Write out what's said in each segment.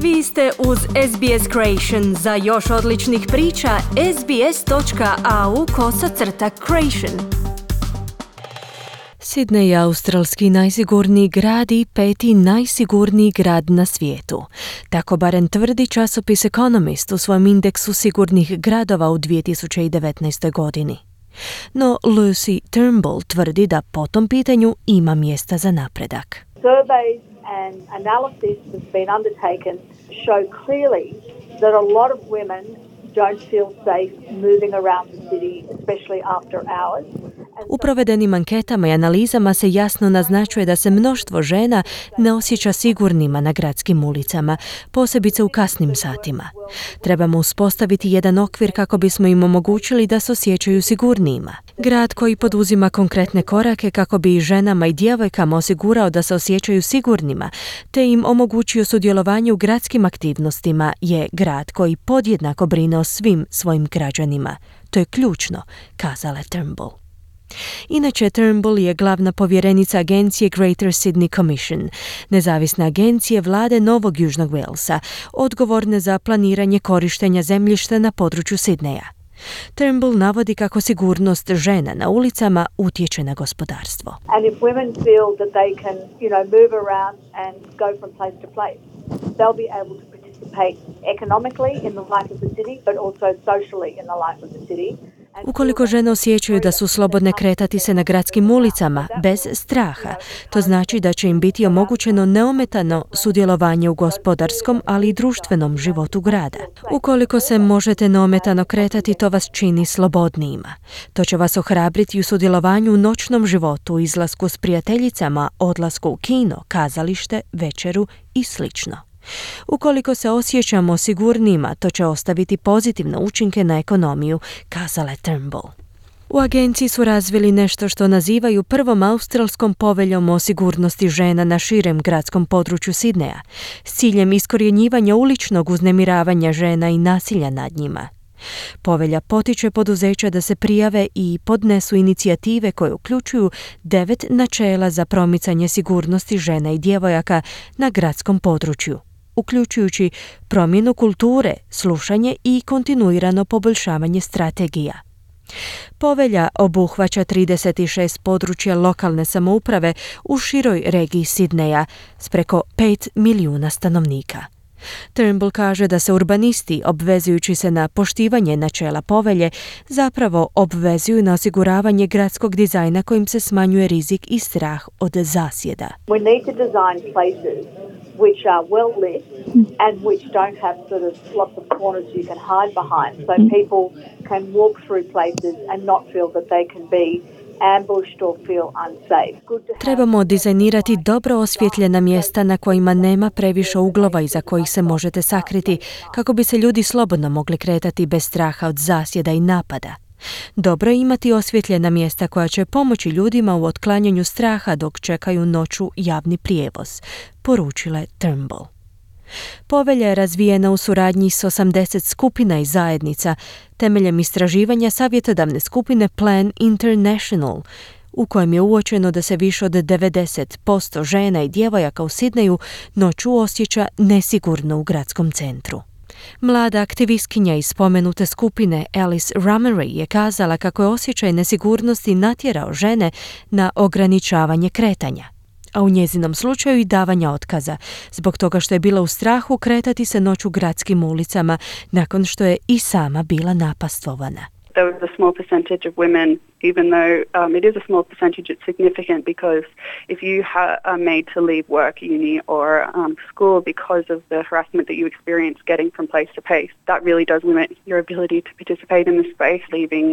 Vi ste uz SBS Creation. Za još odličnih priča, sbs.au/creation. Sydney je australski najsigurniji grad i 5. najsigurniji grad na svijetu. Tako barem tvrdi časopis Economist u svojem indeksu sigurnih gradova u 2019. godini. No Lucy Turnbull tvrdi da po tom pitanju ima mjesta za napredak. Surveys and analysis that's been undertaken show clearly that a lot of women don't feel safe moving around the city, especially after hours. U provedenim anketama i analizama se jasno naznačuje da se mnoštvo žena ne osjeća sigurnima na gradskim ulicama, posebice u kasnim satima. Trebamo uspostaviti jedan okvir kako bismo im omogućili da se osjećaju sigurnijima. Grad koji poduzima konkretne korake kako bi i ženama i djevojkama osigurao da se osjećaju sigurnima, te im omogućio sudjelovanje u gradskim aktivnostima, je grad koji podjednako brine o svim svojim građanima. To je ključno, kazala Turnbull. Inače, Turnbull je glavna povjerenica agencije Greater Sydney Commission, nezavisne agencije vlade Novog Južnog Walesa, odgovorne za planiranje korištenja zemljišta na području Sidneja. Turnbull navodi kako sigurnost žena na ulicama utječe na gospodarstvo. And if women feel that they can, move around and go from place to place, they'll be able to participate economically in the life of the city, but also socially in the life of the city. Ukoliko žene osjećaju da su slobodne kretati se na gradskim ulicama bez straha, to znači da će im biti omogućeno neometano sudjelovanje u gospodarskom, ali i društvenom životu grada. Ukoliko se možete neometano kretati, to vas čini slobodnijima. To će vas ohrabriti u sudjelovanju u noćnom životu, izlasku s prijateljicama, odlasku u kino, kazalište, večeru i slično. Ukoliko se osjećamo sigurnima, to će ostaviti pozitivne učinke na ekonomiju, kazala je Turnbull. U agenciji su razvili nešto što nazivaju prvom australskom poveljom o sigurnosti žena na širem gradskom području Sidneja, s ciljem iskorjenjivanja uličnog uznemiravanja žena i nasilja nad njima. Povelja potiče poduzeća da se prijave i podnesu inicijative koje uključuju 9 načela za promicanje sigurnosti žena i djevojaka na gradskom području, uključujući promjenu kulture, slušanje i kontinuirano poboljšavanje strategija. Povelja obuhvaća 36 područja lokalne samouprave u široj regiji Sidneja s preko 5 milijuna stanovnika. Turnbull kaže da se urbanisti, obvezujući se na poštivanje načela povelje, zapravo obvezuju na osiguravanje gradskog dizajna kojim se smanjuje rizik i strah od zasjeda. We need to design places which are well lit and which don't have sort of lots of corners you can hide behind, so people can walk through places and not feel that they can be ambushed or feel unsafe. Trebamo dizajnirati dobro osvjetljena mjesta na kojima nema previše uglova iza kojih se možete sakriti, kako bi se ljudi slobodno mogli kretati bez straha od zasjeda i napada. Dobro je imati osvjetljena mjesta koja će pomoći ljudima u otklanjanju straha dok čekaju noću javni prijevoz, poručila je Turnbull. Povelja je razvijena u suradnji s 80 skupina i zajednica temeljem istraživanja savjetodavne skupine Plan International, u kojem je uočeno da se više od 90% žena i djevojaka u Sidneju noću osjeća nesigurno u gradskom centru. Mlada aktivistkinja iz spomenute skupine Alice Ramery je kazala kako je osjećaj nesigurnosti natjerao žene na ograničavanje kretanja, a u njezinom slučaju i davanja otkaza, zbog toga što je bila u strahu kretati se noću gradskim ulicama nakon što je i sama bila napastvovana. There was a small percentage of women, even though it is a small percentage, it's significant because if you are made to leave work, uni or school because of the harassment that you experience getting from place to place, that really does limit your ability to participate in the space, leaving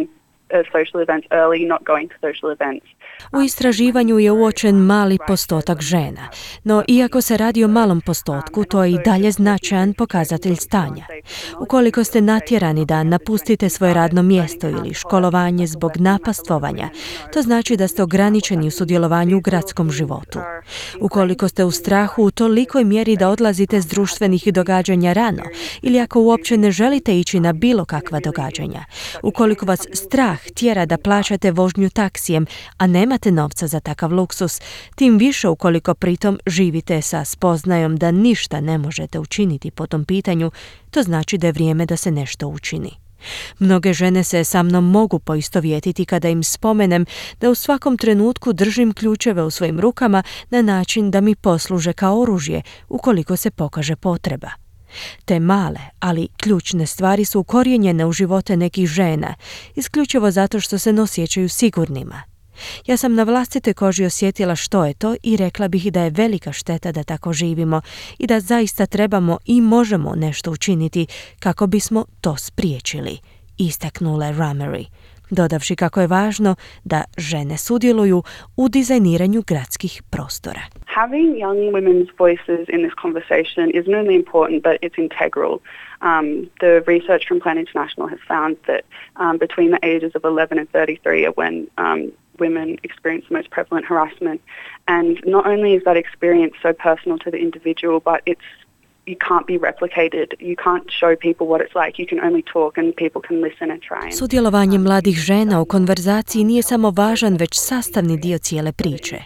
social events early, not going to social events. U istraživanju je uočen mali postotak žena, no iako se radi o malom postotku, to je i dalje značajan pokazatelj stanja. Ukoliko ste natjerani da napustite svoje radno mjesto ili školovanje zbog napastvovanja, to znači da ste ograničeni u sudjelovanju u gradskom životu. Ukoliko ste u strahu u tolikoj mjeri da odlazite s društvenih događanja rano, ili ako uopće ne želite ići na bilo kakva događanja, ukoliko vas strah strah tjera da plaćate vožnju taksijem, a nemate novca za takav luksus, tim više ukoliko pritom živite sa spoznajom da ništa ne možete učiniti po tom pitanju, to znači da je vrijeme da se nešto učini. Mnoge žene se sa mnom mogu poistovjetiti kada im spomenem da u svakom trenutku držim ključeve u svojim rukama na način da mi posluže kao oružje ukoliko se pokaže potreba. Te male, ali ključne stvari su ukorijenjene u živote nekih žena, isključivo zato što se ne osjećaju sigurnima. Ja sam na vlastitoj koži osjetila što je to i rekla bih da je velika šteta da tako živimo i da zaista trebamo i možemo nešto učiniti kako bismo to spriječili, istaknula je Ramery, dodavši kako je važno da žene sudjeluju u dizajniranju gradskih prostora. Having young women's voices in this conversation is not only important, but it's integral. The research from Plan International has found that between the ages of 11 and 33 are when women experience the most prevalent harassment. And not only is that experience so personal to the individual, but you can't be replicated. You can't show people what it's like. You can only talk and people can listen and try. Sudjelovanje mladih žena u konverzaciji nije samo važan, već sastavni dio cijele priče.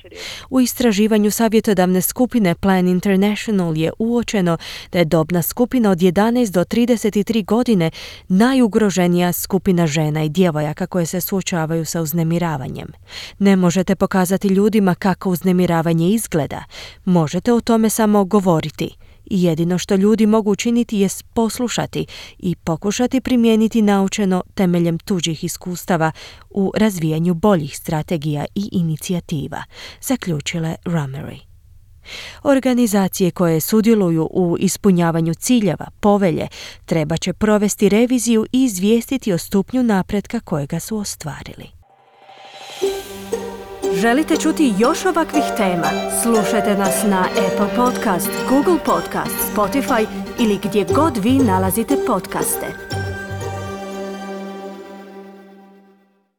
U istraživanju savjetodavne skupine Plan International je uočeno da je dobna skupina od 11 do 33 godine najugroženija skupina žena i djevojaka koje se suočavaju sa uznemiravanjem. Ne možete pokazati ljudima kako uznemiravanje izgleda. Možete o tome samo govoriti. I jedino što ljudi mogu učiniti jest poslušati i pokušati primijeniti naučeno temeljem tuđih iskustava u razvijanju boljih strategija i inicijativa, zaključila je Ramery. Organizacije koje sudjeluju u ispunjavanju ciljeva povelje treba će provesti reviziju i izvijestiti o stupnju napretka kojega su ostvarili. Želite čuti još ovakvih tema? Slušajte nas na Apple Podcast, Google Podcast, Spotify ili gdje god vi nalazite podcaste.